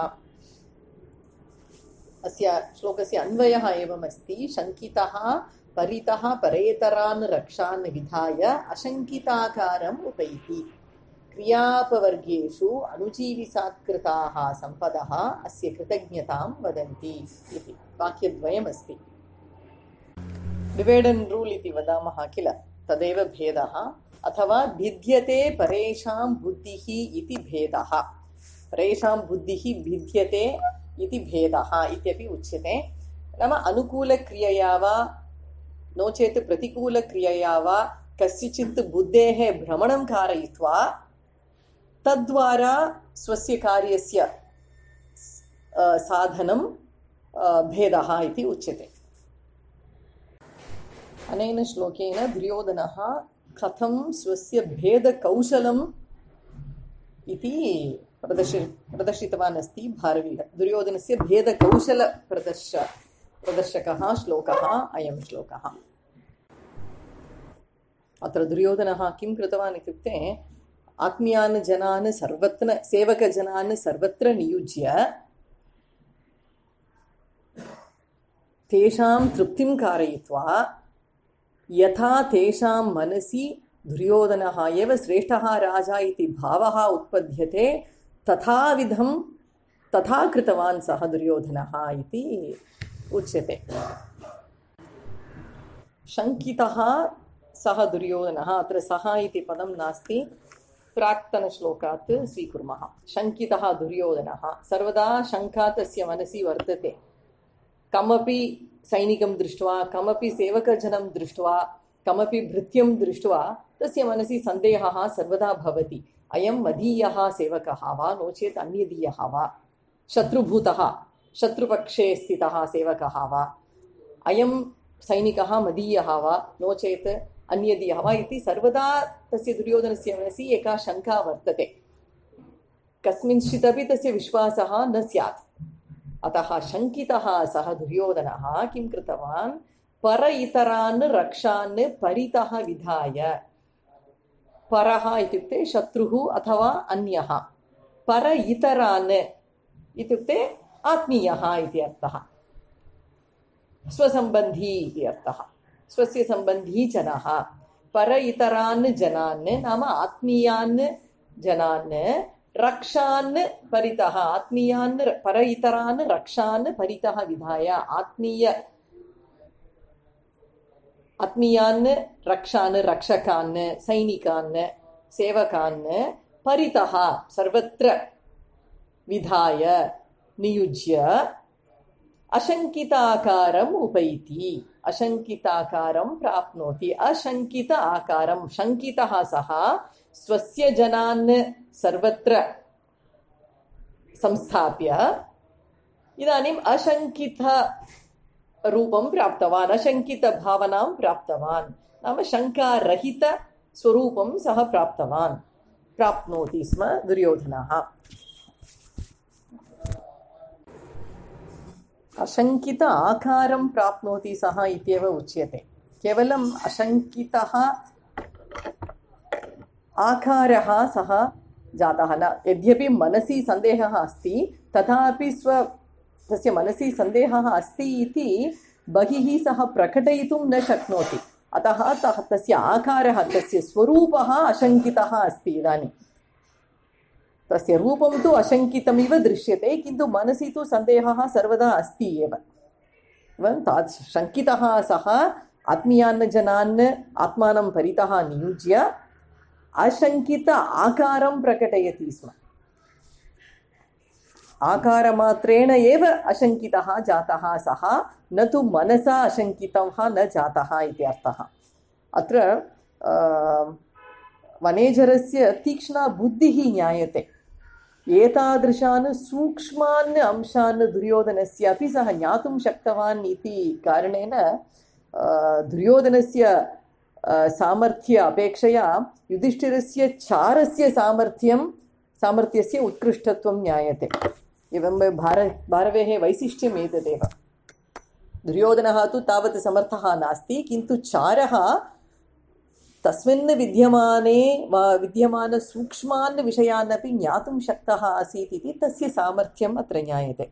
अस्य श्लोकस्य अन्वयः एवमस्ति शङ्कितः परितः परेतरान् रक्षान् विधाय अशङ्किताकारम् उपैति क्रियापवर्गेषु अनुजीविसात्कृताः सम्पदः अस्य कृतज्ञतां वदन्ति इति वाक्यद्वयमस्ति डिवैड एंड रूल इति वदामः किल तदेव भेदः अथवा भिद्यते परेषां बुद्धिः इति भेदः परेषां बुद्धिः भिद्यते इति भेदः इत्यपि उच्यते नाम अनुकूलक्रियया वा नो चेत् प्रतिकूलक्रियया वा कस्यचित् बुद्धेः भ्रमणं कारयित्वा तद्वारा स्वस्य कार्यस्य साधनं भेदः इति उच्यते अनेन श्लोकेन दुर्योधनः कथं स्वस्य भेदकौशलम् इति प्रदर्शि प्रदर्शितवान् अस्ति भारवीः दुर्योधनस्य भेदकौशल प्रदर्श प्रदर्शकः श्लोकः अयं श्लोकः अत्र दुर्योधनः किं कृतवान् इत्युक्ते आत्मीयान् जनान् सर्वत्र सेवकजनान् सर्वत्र नियुज्य तेषां तृप्तिं कारयित्वा यथा तेषां मनसि दुर्योधनः एव श्रेष्ठः राजा इति भावः उत्पद्यते तथाविधं तथा कृतवान् सः दुर्योधनः इति उच्यते शङ्कितः सः दुर्योधनः अत्र सः इति पदं नास्ति प्राक्तनश्लोकात् स्वीकुर्मः शङ्कितः दुर्योधनः सर्वदा शङ्का तस्य मनसि वर्तते कमपि सैनिकं दृष्ट्वा कमपि सेवकजनं दृष्ट्वा कमपि भृत्यं दृष्ट्वा तस्य मनसि सन्देहः सर्वदा भवति। अयं मदीयः सेवकः वा नो चेत् अन्यदीयः वा, शत्रुभूतः शत्रुपक्षे स्थितः सेवकः वा, अयं सैनिकः मदीयः वा नो चेत् अन्यदीयः वा इति सर्वदा तस्य दुर्योधनस्य मनसि एका शङ्का वर्तते। कस्मिंश्चिदपि तस्य विश्वासः न स्यात्। अतः शङ्कितः सः दुर्योधनः किं कृतवान्, पर इतरान् रक्षान् परितः विधाय, परः इत्युक्ते शत्रुः अथवा अन्यः, पर इतरान् इत्युक्ते आत्मीयः इति अर्थः, स्वसम्बन्धी इति अर्थः, स्वस्य सम्बन्धी जनः। पर इतरान् जनान् नाम आत्मीयान् जनान् रक्षान् परितः, आत्मीयान् पर इतरान् रक्षान् परितः विधाय, आत्मीय आत्मीयान् रक्षान् रक्षकान् सैनिकान् सेवकान् परितः सर्वत्र विधाय नियुज्य अशङ्किताकारम् उपैति, अशङ्किताकारं प्राप्नोति। अशङ्कित आकारं, शङ्कितः सः स्वस्य जनान् सर्वत्र संस्थाप्य इदानीम् अशङ्कित रूपं प्राप्तवान्, अशङ्कितभावनां प्राप्तवान्, नाम शङ्कारहित स्वरूपं सः प्राप्तवान्, प्राप्नोति स्म दुर्योधनः। अशङ्कित आकारं प्राप्नोति सः इत्येव उच्यते। केवलम् अशङ्कितः आकारः सः जातः न, यद्यपि मनसि सन्देहः अस्ति तथापि स्व तस्य मनसि सन्देहः अस्ति इति बहिः सः प्रकटयितुं न शक्नोति। अतः तस्य आकारः, तस्य स्वरूपः अशङ्कितः अस्ति। इदानीं तस्य रूपं तु अशङ्कितमिव दृश्यते, किन्तु मनसि तु सन्देहः सर्वदा अस्ति एव। तादृश शङ्कितः सः आत्मीयान् जनान् आत्मानं परितः नियुज्य अशङ्कित आकारं प्रकटयति स्म। आकारमात्रेण एव अशङ्कितः जातः सः, न तु मनसा अशङ्कितः न जातः इति अर्थः। अत्र वनेजरस्य तीक्ष्णा बुद्धिः ज्ञायते। एतादृशान् सूक्ष्मान् अंशान् दुर्योधनस्य अपि सः ज्ञातुं शक्तवान् इति कारणेन दुर्योधनस्य सामर्थ्य अपेक्षया युधिष्ठिरस्य चारस्य सामर्थ्यं सामर्थ्यस्य उत्कृष्टत्वं ज्ञायते। एवं भार भारवेः वैशिष्ट्यम् एतदेव। दुर्योधनः तु तावत् समर्थः नास्ति, किन्तु चारः तस्मिन् विद्यमाने विद्यमानसूक्ष्मान् विषयान् अपि ज्ञातुं शक्तः आसीत् इति तस्य सामर्थ्यम् अत्र ज्ञायते।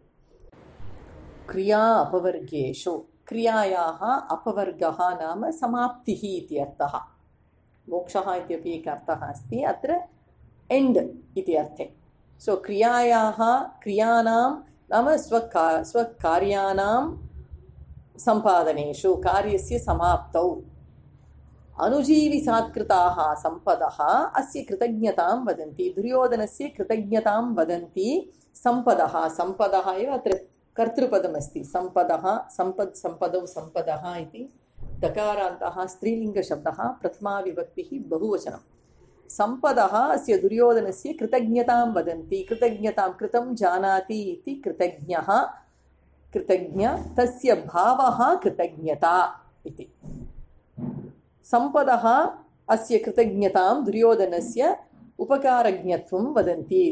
क्रिया अपवर्गेषु, क्रियायाः अपवर्गः नाम समाप्तिः इति अर्थः। मोक्षः इत्यपि एकः अर्थः अस्ति, अत्र एण्ड् इति अर्थे। सो क्रियायाः क्रियाणां नाम स्वका स्वकार्याणां सम्पादनेषु, कार्यस्य समाप्तौ अनुजीविसात्कृताः सम्पदः अस्य कृतज्ञतां वदन्ति। दुर्योधनस्य कृतज्ञतां वदन्ति सम्पदः। सम्पदः एव अत्र कर्तृपदमस्ति। सम्पदः, सम्पद्, सम्पदौ, सम्पदः इति दकारान्तः स्त्रीलिङ्गशब्दः, प्रथमा विभक्तिः बहुवचनं। सम्पदः अस्य दुर्योधनस्य कृतज्ञतां वदन्ति। कृतज्ञतां, कृतं जानाति इति कृतज्ञः, कृतज्ञ, तस्य भावः कृतज्ञता इति। सम्पदः अस्य कृतज्ञतां दुर्योधनस्य उपकारज्ञत्वं वदन्ति।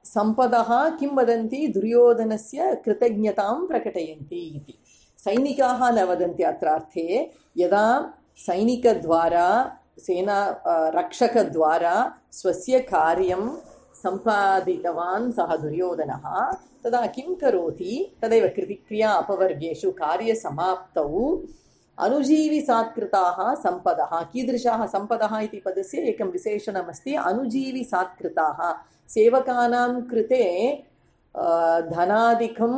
सम्पदः किं वदन्ति, दुर्योधनस्य कृतज्ञतां प्रकटयन्ति इति। सैनिकाः न वदन्ति अत्र अर्थे। यदा सैनिकद्वारा, सेना रक्षकद्वारा स्वस्य कार्यं सम्पादितवान् सः दुर्योधनः, तदा किं करोति, तदेव क्रिया अपवर्गेषु कार्यसमाप्तौ अनुजीविसात्कृताः सम्पदः। कीदृशाः सम्पदः इति पदस्य एकं विशेषणमस्ति, अनुजीविसात्कृताः। सेवकानां कृते धनादिकं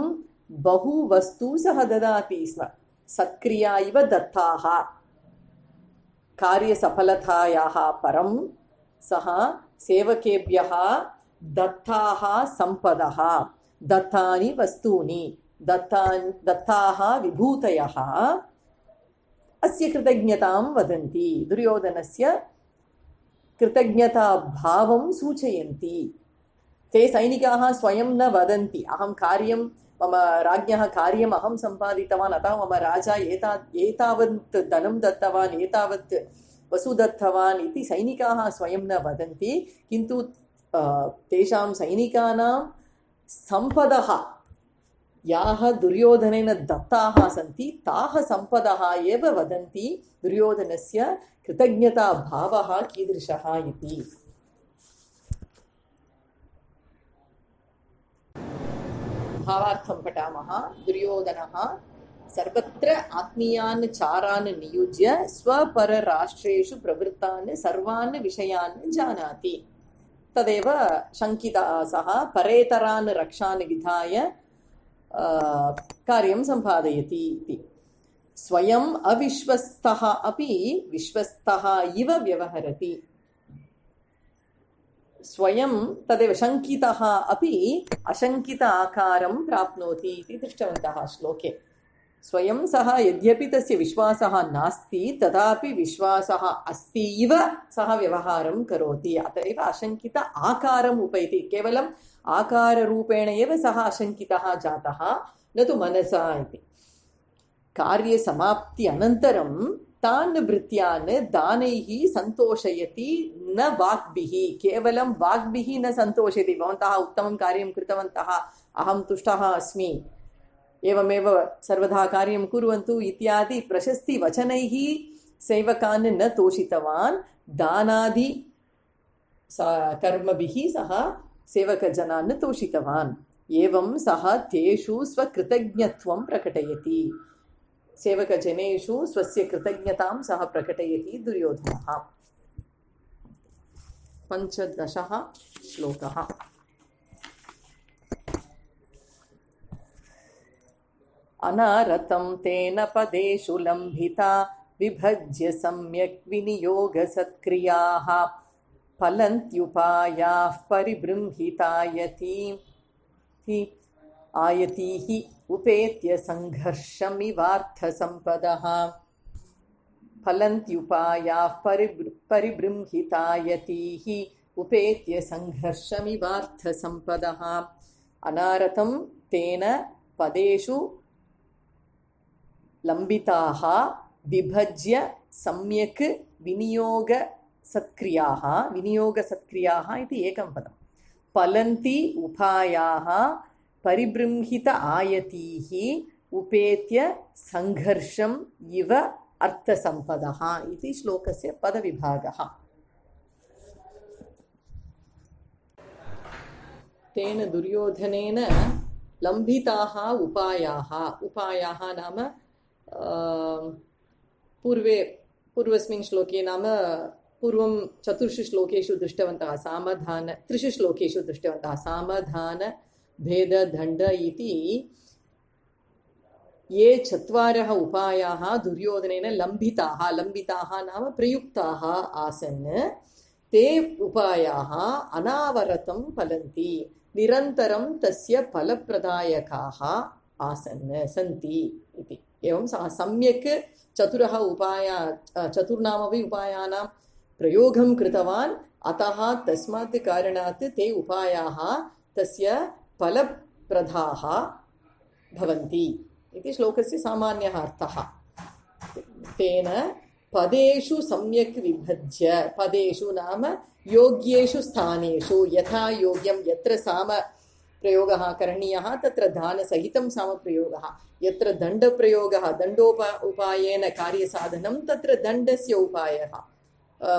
बहु वस्तु सः ददाति स्म, सत्क्रिया इव दत्ताः। कार्यसफलतायाः परं सः सेवकेभ्यः दत्ताः सम्पदः, दत्तानि वस्तूनि, दत्तान् दत्ताः विभूतयः अस्य कृतज्ञतां वदन्ति, दुर्योधनस्य कृतज्ञताभावं सूचयन्ति। ते सैनिकाः स्वयं न वदन्ति अहं कार्यं मम राज्ञः कार्यम् अहं सम्पादितवान्, अतः मम राजा एता एतावत् धनं दत्तवान्, एतावत् वसु दत्तवान् इति सैनिकाः स्वयं न वदन्ति। किन्तु तेषां सैनिकानां सम्पदः याः दुर्योधनेन दत्ताः सन्ति ताः सम्पदः एव वदन्ति दुर्योधनस्य कृतज्ञताभावः कीदृशः इति। भावार्थं पठामः। दुर्योधनः सर्वत्र आत्मीयान् चारान् नियुज्य स्वपरराष्ट्रेषु प्रवृत्तान् सर्वान् विषयान् जानाति। तदेव शङ्कितः सः परेतरान् रक्षान् विधाय कार्यं सम्पादयति इति। स्वयम् अविश्वस्तः अपि विश्वस्तः इव व्यवहरति। स्वयं तदेव शङ्कितः अपि अशङ्कित आकारं प्राप्नोति इति दृष्टवन्तः श्लोके। स्वयं सः यद्यपि तस्य विश्वासः नास्ति तथापि विश्वासः अस्ति इव सः व्यवहारं करोति। अतः एव अशङ्कित आकारम् उपैति। केवलम् आकाररूपेण एव सः अशङ्कितः जातः, न तु मनसा इति। कार्यसमाप्ति अनन्तरं तान् भृत्यान् दानैः सन्तोषयति, न वाग्भिः। केवलं वाग्भिः न सन्तोषयति। भवन्तः उत्तमं कार्यं कृतवन्तः, अहं तुष्टः अस्मि, एवमेव सर्वदा कार्यं कुर्वन्तु इत्यादि प्रशस्तिवचनैः सेवकान् न तोषितवान्। दानादि कर्मभिः सः सेवकजनान् तोषितवान्। एवं सः तेषु स्वकृतज्ञत्वं प्रकटयति। सेवकजनेषु स्वस्य कृतज्ञतां सः प्रकटयति दुर्योधनः। पञ्चदशः श्लोकः। अनारतं तेन पदेषु लम्भिता विभज्य सम्यक् विनियोगसत्क्रियाः फलन्त्युपायाः परिबृंहितायति आयतीः उपेत्य सङ्घर्षमिवार्थसम्पदः। फलन्त्युपायाः परिबृंहितायतीः उपेत्य सङ्घर्षमिवार्थसम्पदः। अनारतं तेन पदेषु लम्बिताः विभज्य सम्यक् विनियोगसत्क्रियाः। विनियोगसत्क्रियाः इति एकं पदं। फलन्ति उपायाः परिबृंहित आयतीः उपेत्य सङ्घर्षम् इव अर्थसम्पदः इति श्लोकस्य पदविभागः। तेन दुर्योधनेन लम्बिताः उपायाः। उपायाः नाम पूर्वे पूर्वस्मिन् श्लोके नाम पूर्वं चतुर्षु श्लोकेषु दृष्टवन्तः सामधान त्रिषु श्लोकेषु दृष्टवन्तः सामधान भेद दण्ड इति ये चत्वारः उपायाः दुर्योधनेन लम्बिताः। लम्बिताः नाम प्रयुक्ताः आसन्। ते उपायाः अनावरतं फलन्ति, निरन्तरं तस्य फलप्रदायकाः आसन् सन्ति इति। एवं सः सम्यक् चतुरः उपाया चतुर्णामपि उपायानां प्रयोगं कृतवान्। अतः तस्मात् कारणात् ते उपायाः तस्य फलप्रदाः भवन्ति इति श्लोकस्य सामान्यः अर्थः। तेन पदेषु सम्यक् विभज्य, पदेषु नाम योग्येषु स्थानेषु, यथा योग्यं यत्र साम प्रयोगः करणीयः तत्र दानसहितं सामप्रयोगः, यत्र दण्डप्रयोगः दण्डोप उपायेन कार्यसाधनं तत्र दण्डस्य उपायः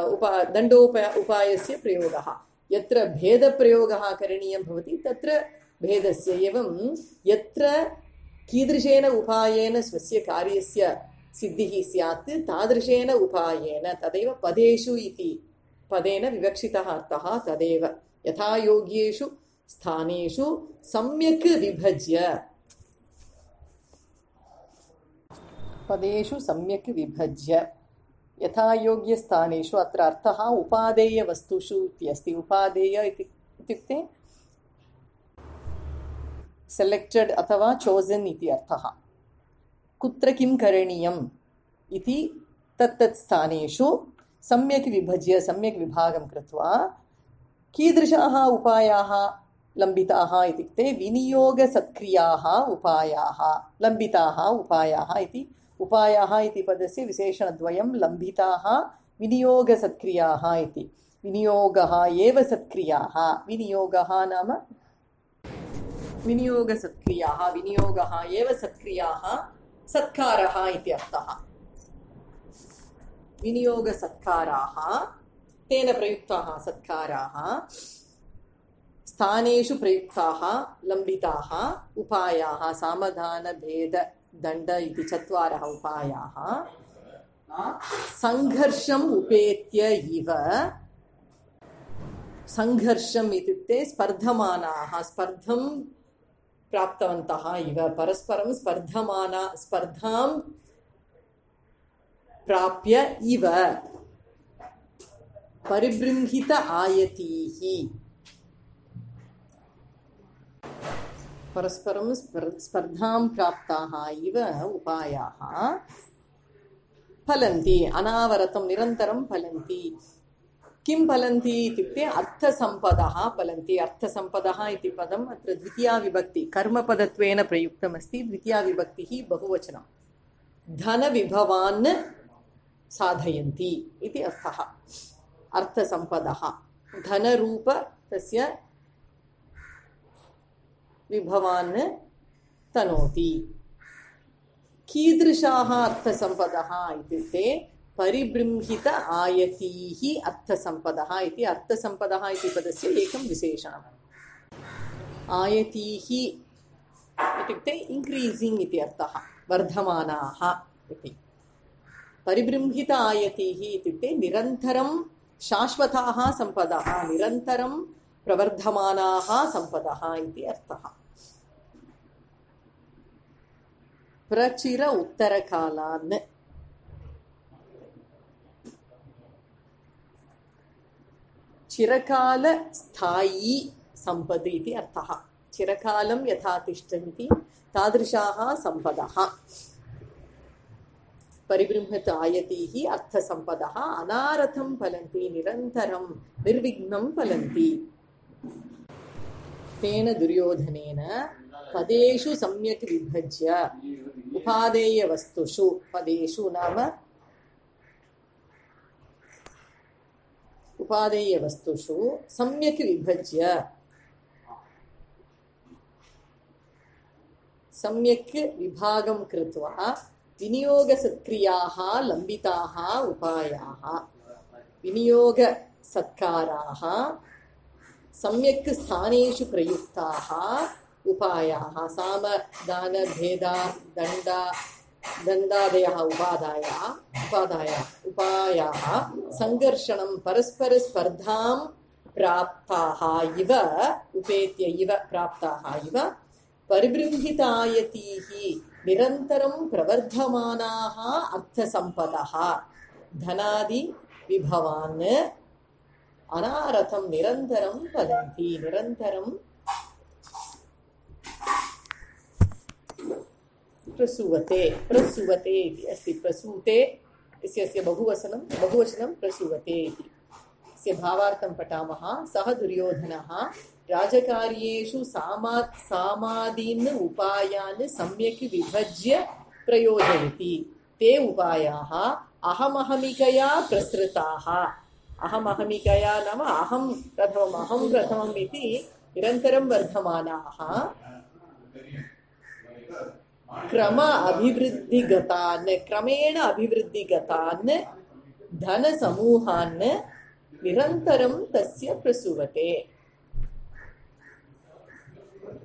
उपा दण्डोप उपायस्य प्रयोगः, यत्र भेदप्रयोगः करणीयं भवति तत्र भेदस्य। एवं यत्र कीदृशेन उपायेन स्वस्य कार्यस्य सिद्धिः स्यात् तादृशेन उपायेन, तदेव पदेषु इति पदेन विवक्षितः अर्थः तदेव। यथा योग्येषु स्थानेषु सम्यक् विभज्य, पदेषु सम्यक् विभज्य यथा योग्यस्थानेषु। अत्र अर्थः उपादेयवस्तुषु इति अस्ति। उपादेय इत्युक्ते सेलेक्टेड् अथवा चोजन् इति अर्थः। कुत्र किं करणीयम् इति तत्तत् स्थानेषु सम्यक् विभज्य सम्यक् विभागं कृत्वा कीदृशाः उपायाः लम्बिताः इत्युक्ते विनियोगसत्क्रियाः उपायाः लम्बिताः उपायाः इति उपायाः इति पदस्य विशेषणद्वयं लम्बिताः विनियोगसत्क्रियाः इति। विनियोगः एव सत्क्रियाः विनियोगः नाम विनियोगसत्क्रियाः विनियोगः एव सत्क्रियाः सत्कारः इति अर्थः। विनियोगसत्काराः तेन प्रयुक्ताः सत्काराः स्थानेषु प्रयुक्ताः लम्बिताः उपायाः सामधानभेददण्ड इति चत्वारः उपायाः संघर्षम् उपेत्य इव। संघर्षम् इत्युक्ते स्पर्धमानाः स्पर्धं प्राप्तवन्तः इव परस्परं स्पर्धमाना स्पर्धां प्राप्य इव परिबृंहित आयतीः परस्परं स्पर्धां प्राप्ताः इव उपायाः फलन्ति अनावरतं निरन्तरं फलन्ति। किं फलन्ति इत्युक्ते अर्थसम्पदः फलन्ति। अर्थसम्पदः इति पदम् अत्र द्वितीया विभक्ति कर्मपदत्वेन प्रयुक्तमस्ति। द्वितीया विभक्तिः बहुवचनं धनविभवान् साधयन्ति इति अर्थः। अर्थसम्पदः धनरूप तस्य विभवान् तनोति। कीदृशाः अर्थसम्पदः इत्युक्ते परिबृंहित आयतीः अर्थसम्पदः इति। अर्थसम्पदः इति पदस्य एकं विशेषणम्। आयतीः इत्युक्ते इन्क्रीसिङ्ग् इति अर्थः वर्धमानाः इति। परिबृंहित आयतीः इत्युक्ते निरन्तरं शाश्वताः सम्पदः निरन्तरं प्रवर्धमानाः सम्पदः इति अर्थः। प्रचिर उत्तरकालान् चिरकाल स्थायी सम्पद् इति अर्थः। चिरकालं यथा तिष्ठन्ति तादृशाः सम्पदः। परिबृंहित आयतीः अर्थसम्पदः अनारतं फलन्ति निरन्तरं निर्विघ्नं फलन्ति। तेन दुर्योधनेन पदेषु सम्यक् विभज्य उपादेयवस्तुषु पदेषु नाम उपादेयवस्तुषु सम्यक् विभज्य सम्यक् विभागं कृत्वा विनियोगसत्क्रियाः लम्बिताः उपायाः विनियोगसत्काराः सम्यक् स्थानेषु प्रयुक्ताः उपायाः सामदानभेदा दण्ड दण्डादयः उपादायाः उपादायाः उपायाः संघर्षणं परस्परस्पर्धां प्राप्ताः इव उपेत्य इव प्राप्ताः इव परिबृंहित आयतीः निरन्तरं प्रवर्धमानाः अर्थसम्पदः धनादि विभवान् अनारतं निरन्तरं फलन्ति निरन्तरं प्रसूवते प्रसूवते इति अस्ति। प्रसूते इत्यस्य बहुवचनं बहुवचनं प्रसूवते इति। अस्य भावार्थं पठामः। सः दुर्योधनः राजकार्येषु सामा सामादीन् उपायान् सम्यक् विभज्य प्रयोजयति। ते उपायाः अहमहमिकया प्रसृताः। अहमहमिकया नाम अहं प्रथमम् अहं प्रथमम् इति निरन्तरं वर्धमानाः क्रम अभिवृद्धिगतान् क्रमेण अभिवृद्धिगतान् धनसमूहान् निरन्तरं तस्य प्रसूवते।